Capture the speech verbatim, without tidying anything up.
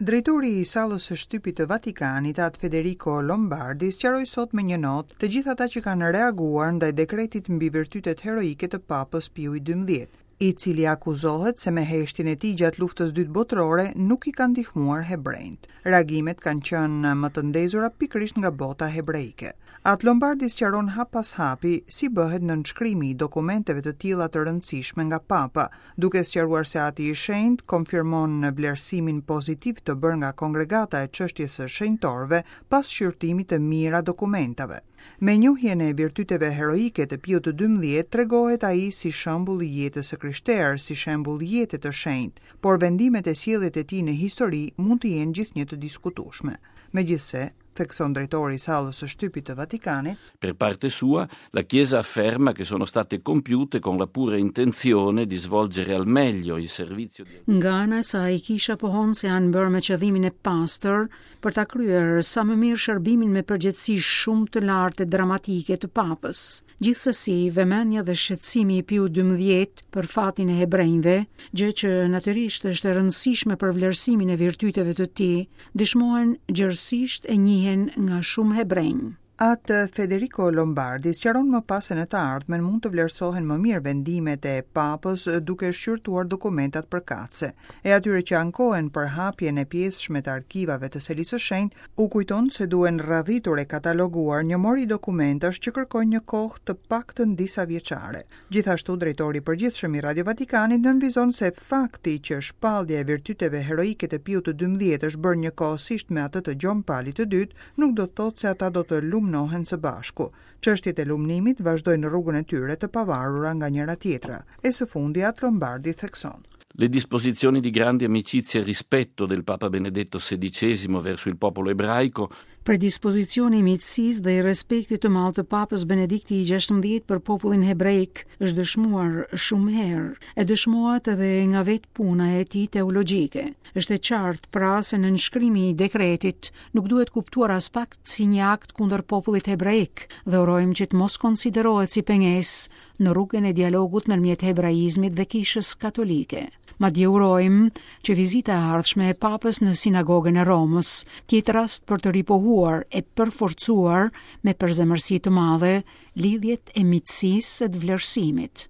Drejtori i sallës së shtypit të Vatikanit, At Federico Lombardi, sqaroi sot me një notë të gjithë ata që kanë reaguar ndaj dekretit mbi virtytet heroike të Papës Piu i dymbëdhjetë, i cili akuzohet se me heshtjen e tij gjatë Luftës Dytë Botërore nuk i ka ndihmuar hebrejt. Reagimet kanë qenë më të ndezura pikërisht nga bota hebreike. At Lombardi sqaron hap pas hapi si bëhet nënshkrimi i dokumenteve të tilla të rëndësishme nga Papa, duke sqaruar se Ati i Shenjtë konfirmon vlerësimin pozitiv të bërë nga kongregata e çështjes së shenjtorëve pas shqyrtimit të mijëra dokumentave. Me njohjen e virtyteve heroike të Piut të dymbëdhjetë tregohet ai si shembull i jetës së krishterë, si shembull jete të shenjtë, por vendimet e sjelljet e tij në histori mund të jenë gjithnjë të diskutueshme. Megjithëse, thekson drejtori i sallës së shtypit të Vatikanit, Per parte sua, la Chiesa afferma che sono state compiute con la pura intenzione di svolgere al meglio il servizio di Nga ana e saj, kisha pohon se janë bërë me qëllimin e pastër për ta kryer sa më mirë shërbimin me përgjegjësi shumë të lartë e dramatike të Papës. Gjithsesi, vëmendja dhe shqetësimi i Piu dymbëdhjetë për fatin e hebrejve, gjë që natyrisht është e rëndësishme për vlerësimin e virtyteve të tij, dëshmohen gjerësisht e njihen nga shumë hebrenj. Atë Federico Lombardi sqaron më pas se në të ardhmen mund të vlerësohen më mirë vendimet e Papës duke shqyrtuar dokumentat përkatëse. E atyre që ankohen për hapjen e pjesshme të arkivave të Selisë së Shenjtë, u kujton se duhen radhitur e kataloguar një mori dokumentash që kërkojnë një kohë të paktën disa vjeçare. Gjithashtu, drejtori i përgjithshëm i Radio Vatikanit nënvizon se fakti që shpallja e virtyteve heroike të Piut të dymbëdhjetë është bërë njëkohësisht me atë të Gjon Palit të dytë, nuk do të thotë se ata do të lumnohen së bashku. Çështjet e lumnimit vazhdojnë rrugën e tyre të pavarura nga njëra tjetra. E së fundi At Lombardi thekson: Le disposizioni di grande amicizia e rispetto del Papa Benedetto sedicesimo verso il popolo ebraico Predispozicioni i miqësisë dhe i respektit të madh të Papës Benedikti i gjashtëmbëdhjetë për popullin hebreik është dëshmuar shumë herë, e dëshmohet edhe nga vetë puna e tij teologjike. Është e qartë pra se nënshkrimi i dekretit nuk duhet kuptuar as pak si një akt kundër popullit hebreik dhe urojmë që të mos konsiderohet si pengesë në rrugën e dialogut ndërmjet hebraizmit dhe kishës katolike. Madje urojmë që vizita e ardhshme e Papës në sinagogën e Romës të jetë rast për të ripohuar e përforcuar me përzemërsi të madhe lidhjet e miqësisë e të vlerësimit.